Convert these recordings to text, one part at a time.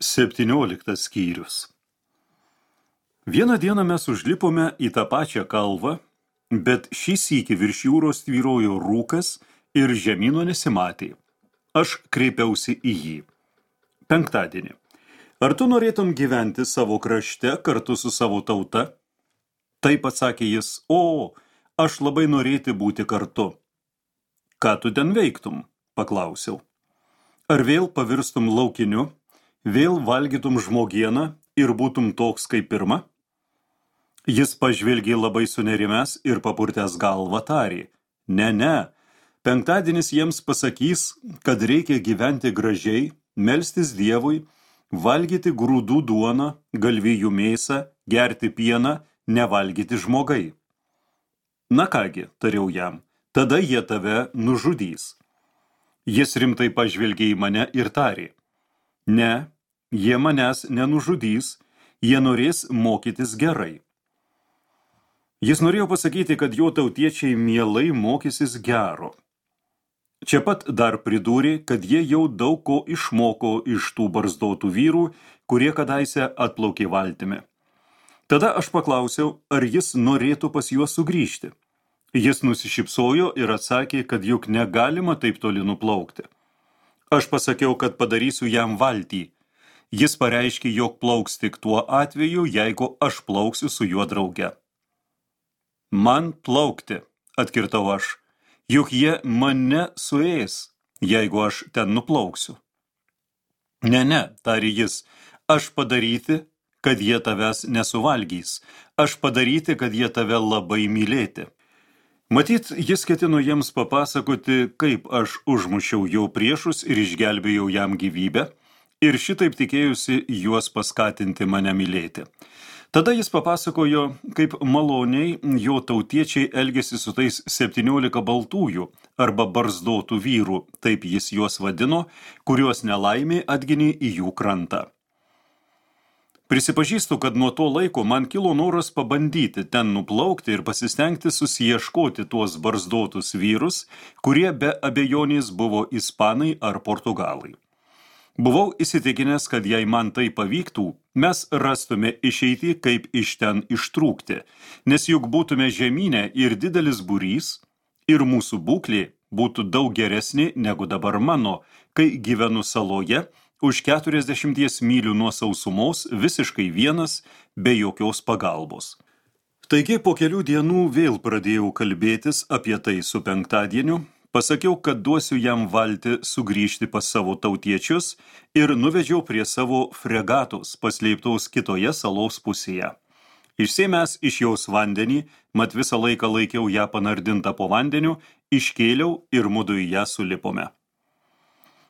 17 skyrius. Vieną dieną mes užlipome į tą pačią kalvą, bet šį sykį virš jūros tvyrojo rūkas ir žemyno nesimatė. Aš kreipiausi į jį. Penktadienį. Ar tu norėtum gyventi savo krašte kartu su savo tauta? Taip atsakė jis, aš labai norėti būti kartu. Ką tu ten veiktum? Paklausiau. Ar vėl pavirstum laukiniu? Vėl valgytum žmogieną ir būtum toks kaip pirma? Jis pažvelgė labai sunerimęs ir papurtęs galvą tarė. Ne, penktadienis jiems pasakys, kad reikia gyventi gražiai, melstis Dievui, valgyti grūdų duoną, galvijų mėsą, gerti pieną, nevalgyti žmogai. Na kągi, tariau jam, tada jie tave nužudys. Jis rimtai pažvelgė į mane ir tarė. Ne, jie manęs nenužudys, jie norės mokytis gerai. Jis norėjo pasakyti, kad jo tautiečiai mielai mokysis gero. Čia pat dar pridūrė, kad jie jau daug ko išmoko iš tų barzdotų vyrų, kurie kadaise atplaukė valtimi. Tada aš paklausiau, ar jis norėtų pas juos sugrįžti. Jis nusišypsojo ir atsakė, kad juk negalima taip toli nuplaukti. Aš pasakiau, kad padarysiu jam valtį. Jis pareiškė, jog plauks tik tuo atveju, jeigu aš plauksiu su juo drauge. Man plaukti, atkirtau aš, juk jie mane suės, jeigu aš ten nuplauksiu. Ne, tarė jis, aš padaryti, kad jie tavęs nesuvalgys, aš padaryti, kad jie tave labai mylėti. Matyt, jis ketino jiems papasakoti, kaip aš užmušiau jo priešus ir išgelbėjau jam gyvybę, ir šitaip tikėjusi juos paskatinti mane mylėti. Tada jis papasakojo, kaip maloniai jo tautiečiai elgėsi su tais 17 baltųjų arba barzdotų vyrų, taip jis juos vadino, kuriuos nelaimė atginė į jų krantą. Prisipažįstu, kad nuo to laiko man kilo noras pabandyti ten nuplaukti ir pasistengti susiieškoti tuos barzdotus vyrus, kurie be abejonės buvo ispanai ar portugalai. Buvau įsitikinęs, kad jei man tai pavyktų, mes rastume išeitį, kaip iš ten ištrūkti, nes juk būtume žemynę ir didelis būrys, ir mūsų būklė būtų daug geresnė negu dabar mano, kai gyvenu saloje, už 40 mylių nuo sausumos, visiškai vienas, be jokios pagalbos. Taigi po kelių dienų vėl pradėjau kalbėtis apie tai su penktadieniu, pasakiau, kad duosiu jam valtį sugrįžti pas savo tautiečius ir nuvedžiau prie savo fregatos, paslėptos kitoje salos pusėje. Išsėmęs iš jos vandenį, mat visą laiką laikiau ją panardintą po vandeniu, iškėliau ir mudu į ją sulipome.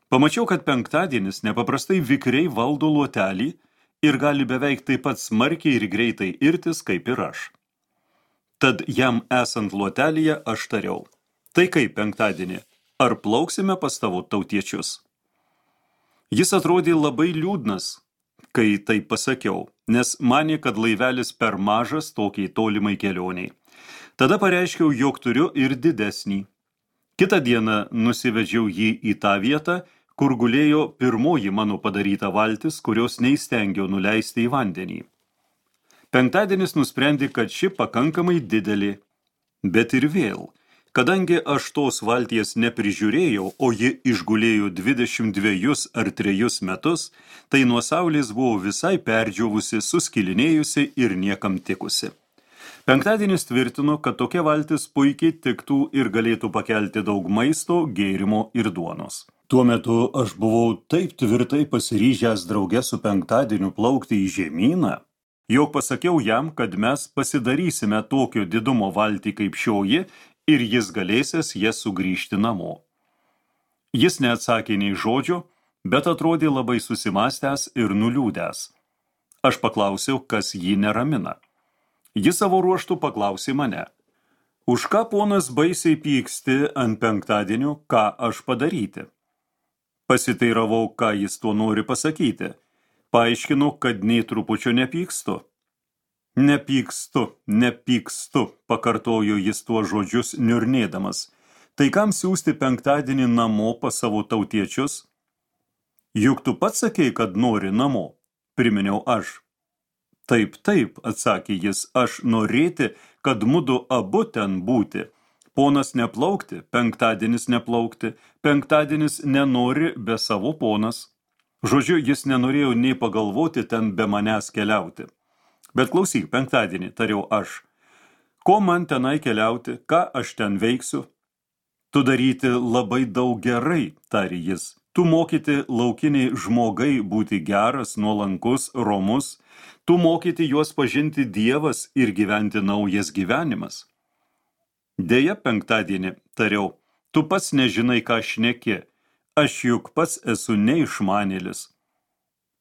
Pamačiau, kad penktadienis nepaprastai vikriai valdo luotelį ir gali beveik taip pat smarkiai ir greitai irtis, kaip ir aš. Tad jam esant luotelyje aš tariau. Tai kaip penktadienį, ar plauksime pas tavo tautiečius? Jis atrodė labai liūdnas, kai tai pasakiau, nes manė, kad laivelis per mažas tokiai tolimai kelioniai. Tada pareiškiau, jog turiu ir didesnį. Kitą dieną nusivedžiau jį į tą vietą, kur gulėjo pirmoji mano padaryta valtis, kurios neįstengiau nuleisti į vandenį. Penktadienis nusprendė, kad ši pakankamai didelė, bet ir vėl. Kadangi aš tos valties neprižiūrėjau, o ji išgulėjo 22 ar 3 metus, tai nuo saulės buvo visai perdžiovusi, suskilinėjusi ir niekam tikusi. Penktadienis tvirtino, kad tokia valtis puikiai tiktų ir galėtų pakelti daug maisto, gėrimo ir duonos. Tuo metu aš buvau taip tvirtai pasiryžęs drauge su penktadieniu plaukti į žemyną, jog pasakiau jam, kad mes pasidarysime tokio didumo valtį kaip šioji, ir jis galėsės jas sugrįžti namo. Jis neatsakė nei žodžio, bet atrodė labai susimąstęs ir nuliūdęs. Aš paklausiau, kas jį neramina. Jis savo ruožtu paklausė mane. Už ką ponas baisiai pyksti ant penktadienio, ką aš padaryti? Pasiteiravau, ką jis tuo nori pasakyti. Paaiškinau, kad nei trupučio nepykstu. Nepykstu, pakartojo jis tuo žodžius niurnėdamas. Tai kam siųsti penktadienį namo pas savo tautiečius? Juk tu pats sakei, kad nori namo, priminiau aš. Taip, atsakė jis, aš norėti, kad mudu abu ten būti. Ponas neplaukti, penktadienis neplaukti, penktadienis nenori be savo ponas. Žodžiu, jis nenorėjo nei pagalvoti ten be manęs keliauti. Bet klausyk, penktadienį, tariau aš. Ko man tenai keliauti, ką aš ten veiksiu? Tu daryti labai daug gerai, tarė jis. Tu mokyti laukiniai žmogai būti geras, nuolankus, romus. Tu mokyti juos pažinti Dievas ir gyventi naujas gyvenimas. Deja, penktadienį, tariau, tu pats nežinai, ką šneki. Aš juk pats esu neišmanėlis.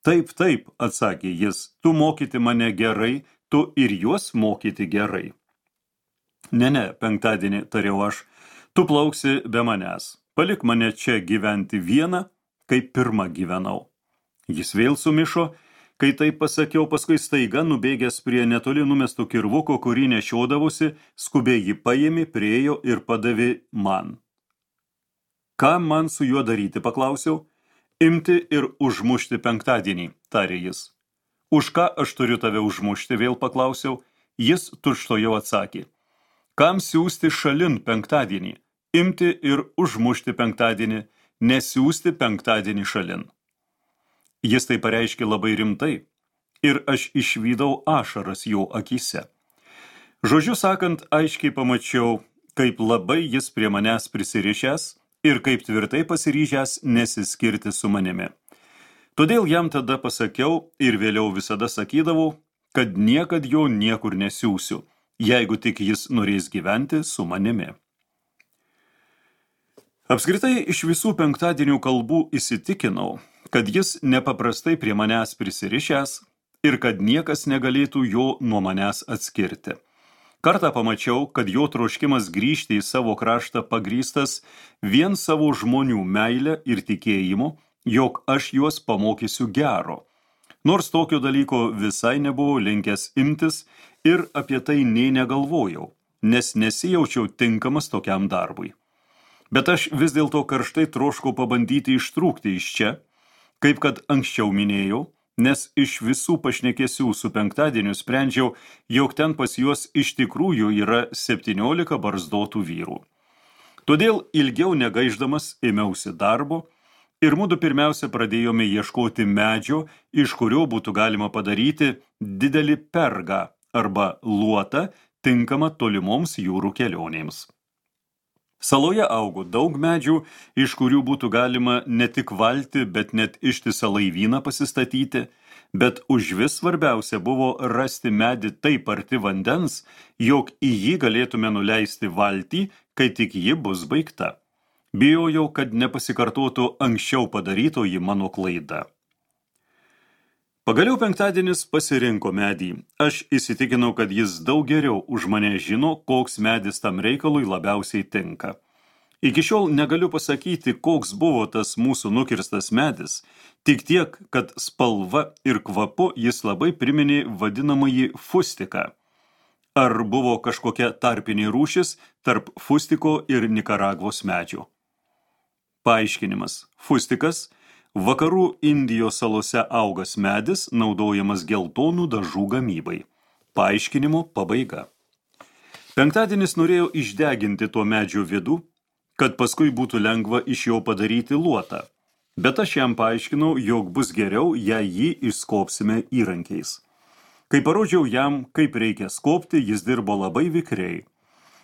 Taip, atsakė jis, tu mokyti mane gerai, tu ir juos mokyti gerai. Ne, penktadienį, tariau aš, tu plauksi be manęs. Palik mane čia gyventi vieną, kaip pirmą gyvenau. Jis vėl sumišo, kai taip pasakiau, paskui staiga nubėgęs prie netoli numesto kirvuko, kurį nešiodavosi, skubiai jį paėmė, priėjo ir padavė man. Ką man su juo daryti, paklausiau? Imti ir užmušti penktadienį, tarė jis. Už ką aš turiu tave užmušti, vėl paklausiau. Jis tučtuojau atsakė. Kam siųsti šalin penktadienį? Imti ir užmušti penktadienį, nesiųsti penktadienį šalin. Jis tai pareiškė labai rimtai, ir aš išvydau ašaras jo akyse. Žodžiu sakant, aiškiai pamačiau, kaip labai jis prie manęs prisirišęs ir kaip tvirtai pasiryžęs nesiskirti su manimi. Todėl jam tada pasakiau ir vėliau visada sakydavau, kad niekad jo niekur nesiųsiu, jeigu tik jis norės gyventi su manimi. Apskritai iš visų penktadienių kalbų įsitikinau, kad jis nepaprastai prie manęs prisirišęs ir kad niekas negalėtų jo nuo manęs atskirti. Kartą pamačiau, kad jo troškimas grįžti į savo kraštą pagrįstas vien savo žmonių meilę ir tikėjimu, jog aš juos pamokysiu gero. Nors tokio dalyko visai nebuvau linkęs imtis ir apie tai nei negalvojau, nes nesijaučiau tinkamas tokiam darbui. Bet aš vis dėlto karštai troškau pabandyti ištrūkti iš čia, kaip kad anksčiau minėjau, nes iš visų pašnekesių su penktadieniu sprendžiau, jog ten pas juos iš tikrųjų yra 17 barzdotų vyrų. Todėl ilgiau negaiždamas ėmiausi darbo ir mudu pirmiausia pradėjome ieškoti medžio, iš kurio būtų galima padaryti didelį pergą arba luotą tinkamą tolimoms jūrų kelionėms. Saloje augo daug medžių, iš kurių būtų galima ne tik valtį, bet net ištisą laivyną pasistatyti, bet užvis svarbiausia buvo rasti medį taip arti vandens, jog į jį galėtume nuleisti valtį, kai tik ji bus baigta. Bijojau, kad nepasikartotų anksčiau padarytoji mano klaida. Pagaliau penktadienis pasirinko medį. Aš įsitikinau, kad jis daug geriau už mane žino, koks medis tam reikalui labiausiai tinka. Iki šiol negaliu pasakyti, koks buvo tas mūsų nukirstas medis, tik tiek, kad spalva ir kvapu jis labai priminė vadinamąjį fustiką. Ar buvo kažkokia tarpinė rūšis tarp fustiko ir Nikaragvos medžio? Paaiškinimas. Fustikas – Vakarų Indijos salose augas medis, naudojamas geltonų dažų gamybai. Paaiškinimo pabaiga. Penktadienis norėjo išdeginti to medžio vidų, kad paskui būtų lengva iš jo padaryti luotą. Bet aš jam paaiškinau, jog bus geriau, jei jį išskobsime įrankiais. Kai parodžiau jam, kaip reikia skobti, jis dirbo labai vikriai.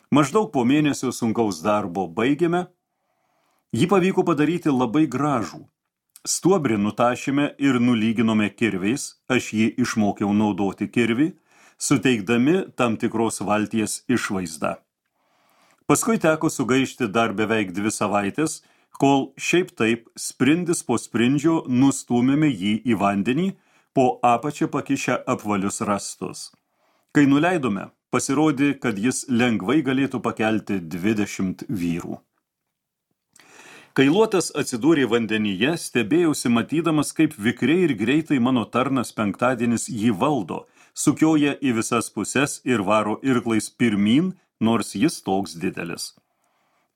Maždaug po mėnesio sunkaus darbo baigėme. Jį pavyko padaryti labai gražų. Stuobrį nutašėme ir nulyginome kirviais, aš jį išmokiau naudoti kirvį, suteikdami tam tikros valties išvaizdą. Paskui teko sugaišti dar beveik 2 savaitės, kol šiaip taip sprindis po sprindžio nustūmėme jį į vandenį, po apačią pakišę apvalius rąstus. Kai nuleidome, pasirodė, kad jis lengvai galėtų pakelti 20 vyrų. Kai luotas atsidūrė vandenyje, stebėjausi matydamas, kaip vikriai ir greitai mano tarnas penktadienis jį valdo, sukioja į visas puses ir varo irklais pirmyn, nors jis toks didelis.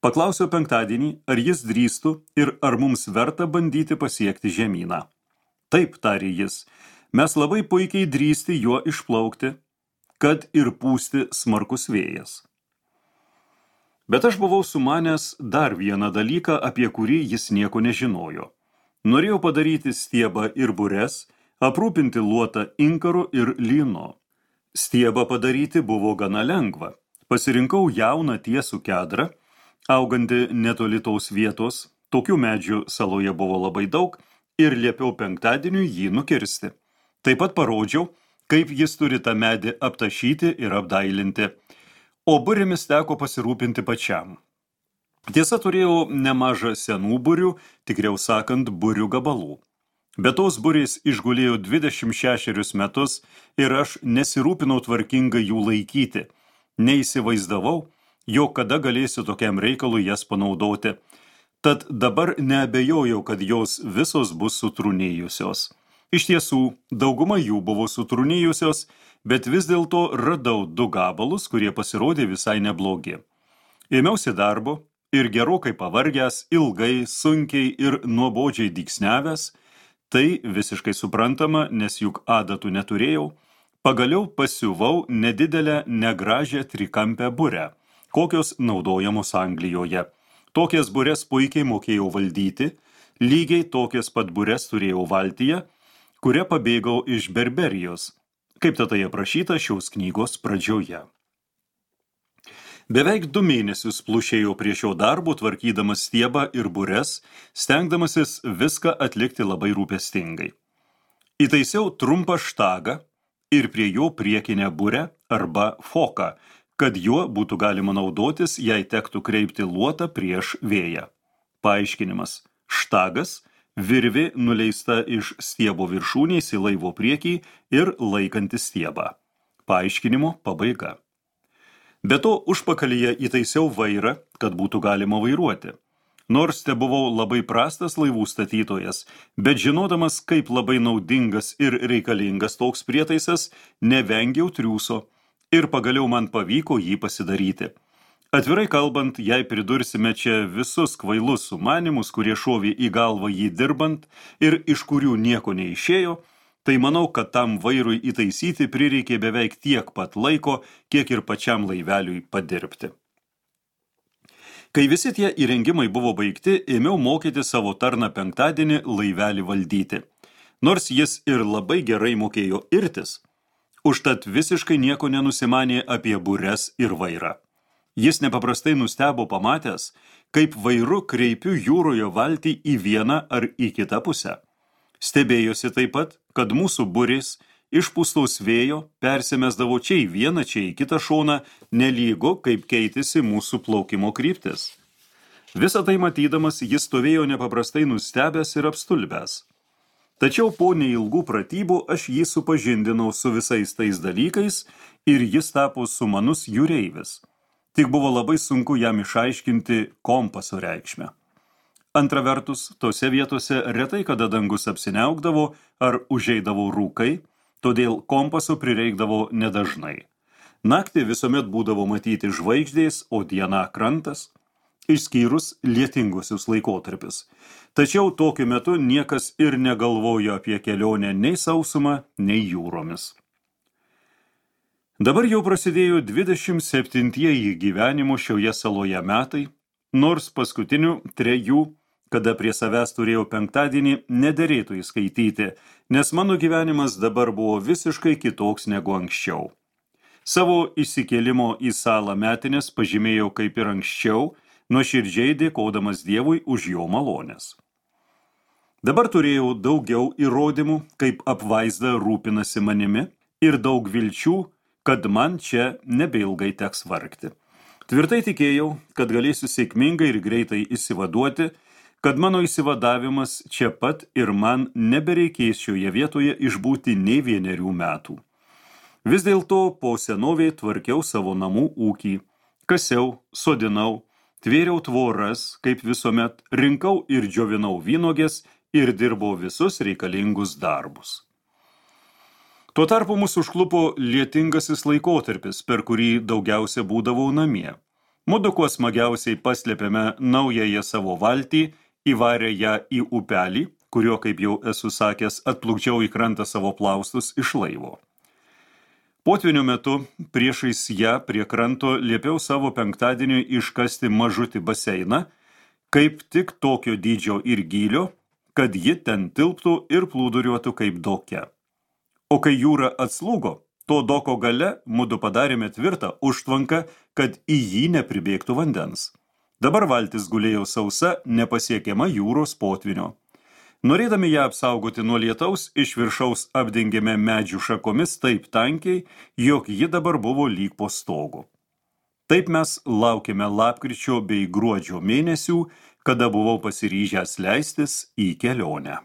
Paklausiau penktadienį, ar jis drįstų ir ar mums verta bandyti pasiekti žemyną. Taip, tarė jis, mes labai puikiai drįsti juo išplaukti, kad ir pūsti smarkus vėjas. Bet aš buvau sumanęs dar vieną dalyką, apie kurį jis nieko nežinojo. Norėjau padaryti stiebą ir bures, aprūpinti luotą inkaru ir lynu. Stiebą padaryti buvo gana lengva. Pasirinkau jauną tiesų kedrą, augantį netoli tos vietos, tokių medžių saloje buvo labai daug, ir liepiau penktadieniui jį nukirsti. Taip pat parodžiau, kaip jis turi tą medį aptašyti ir apdailinti, o burėmis teko pasirūpinti pačiam. Tiesa, turėjau nemažą senų burių, tikriau sakant, burių gabalų. Bet tos burės išgulėjo 26 metus ir aš nesirūpinau tvarkingai jų laikyti. Neįsivaizdavau, jog kada galėsiu tokiam reikalui jas panaudoti. Tad dabar neabejojau, kad jos visos bus sutrūnėjusios. Iš tiesų, dauguma jų buvo sutrūnėjusios, bet vis dėlto radau 2 gabalus, kurie pasirodė visai neblogi. Ėmiausi darbo ir gerokai pavargęs, ilgai, sunkiai ir nuobodžiai dygsniavęs, tai visiškai suprantama, nes juk adatų neturėjau, pagaliau pasiuvau nedidelę negražią trikampę burę, kokios naudojamos Anglijoje. Tokias bures puikiai mokėjau valdyti, lygiai tokias pat bures turėjau valtyje, kuria pabėgau iš Berberijos, kaip tai aprašyta šios knygos pradžioje. Beveik 2 mėnesius plušėjau prie šio darbo, tvarkydamas stiebą ir bures, stengdamasis viską atlikti labai rūpestingai. Įtaisiau trumpą štagą ir prie jo priekinę burę arba foką, kad juo būtų galima naudotis, jei tektų kreipti luotą prieš vėją. Paaiškinimas. Štagas – virvė nuleista iš stiebo viršūnės į laivo priekį ir laikanti stiebą. Paaiškinimo pabaiga. Be to, užpakalyje įtaisiau vairą, kad būtų galima vairuoti. Nors te buvau labai prastas laivų statytojas, bet žinodamas, kaip labai naudingas ir reikalingas toks prietaisas, nevengiau triūso ir pagaliau man pavyko jį pasidaryti. Atvirai kalbant, jei pridursime čia visus kvailus sumanymus, kurie šovė į galvą jį dirbant ir iš kurių nieko neišėjo, tai manau, kad tam vairui įtaisyti prireikė beveik tiek pat laiko, kiek ir pačiam laiveliui padirbti. Kai visi tie įrengimai buvo baigti, ėmiau mokyti savo tarną penktadienį laivelį valdyti. Nors jis ir labai gerai mokėjo irtis, užtat visiškai nieko nenusimanė apie bures ir vairą. Jis nepaprastai nustebo pamatęs, kaip vairu kreipiu jūroje valtį į vieną ar į kitą pusę. Stebėjosi taip pat, kad mūsų burės išpūstos vėjo persimesdavo čia į vieną, čia į kitą šoną, nelygu, kaip keitėsi mūsų plaukimo kryptis. Visą tai matydamas, jis stovėjo nepaprastai nustebęs ir apstulbęs. Tačiau po neilgų pratybų aš jį supažindinau su visais tais dalykais ir jis tapo sumanus jūreivis. Tik buvo labai sunku jam išaiškinti kompaso reikšmę. Antra vertus, tose vietose retai kada dangus apsiniaukdavo ar užeidavo rūkai, todėl kompaso prireikdavo nedažnai. Naktį visuomet būdavo matyti žvaigždės, o diena krantas, išskyrus lietingusius laikotarpius. Tačiau tokiu metu niekas ir negalvojo apie kelionę nei sausumą, nei jūromis. Dabar jau prasidėjo 27-ieji gyvenimo šioje saloje metai, nors paskutinių 3, kada prie savęs turėjau penktadienį, nederėtų įskaityti, nes mano gyvenimas dabar buvo visiškai kitoks negu anksčiau. Savo įsikėlimo į salą metinės pažymėjau kaip ir anksčiau, nuoširdžiai dėkodamas Dievui už jo malonės. Dabar turėjau daugiau įrodymų, kaip apvaizda rūpinasi manimi ir daug vilčių, kad man čia nebeilgai teks vargti. Tvirtai tikėjau, kad galėsiu sėkmingai ir greitai įsivaduoti, kad mano įsivadavimas čia pat ir man nebereikės šioje vietoje išbūti nei 1 metų. Vis dėlto po senovei tvarkiau savo namų ūkį, kasiau, sodinau, tvėriau tvoras, kaip visuomet, rinkau ir džiovinau vynuogės ir dirbau visus reikalingus darbus. Tuo tarpu mus užklupo lietingasis laikotarpis, per kurį daugiausia būdavau namie. Mudu kuo smagiausiai paslėpėme naująją savo valtį, įvarę ją į upelį, kurio, kaip jau esu sakęs, atplukdžiau į krantą savo plaustus iš laivo. Potvynio metu priešais ją prie kranto liepiau savo penktadieniui iškasti mažutį baseiną, kaip tik tokio dydžio ir gylio, kad ji ten tilptų ir plūduriuotų kaip doke. O kai jūra atslūgo, to doko gale mudu padarėme tvirtą užtvanką, kad į jį nepribėgtų vandens. Dabar valtis gulėjo sausa, nepasiekiama jūros potvynio. Norėdami ją apsaugoti nuo lietaus, iš viršaus apdengėme medžių šakomis taip tankiai, jog ji dabar buvo lyg po stogu. Taip mes laukėme lapkričio bei gruodžio mėnesių, kada buvau pasiryžęs leistis į kelionę.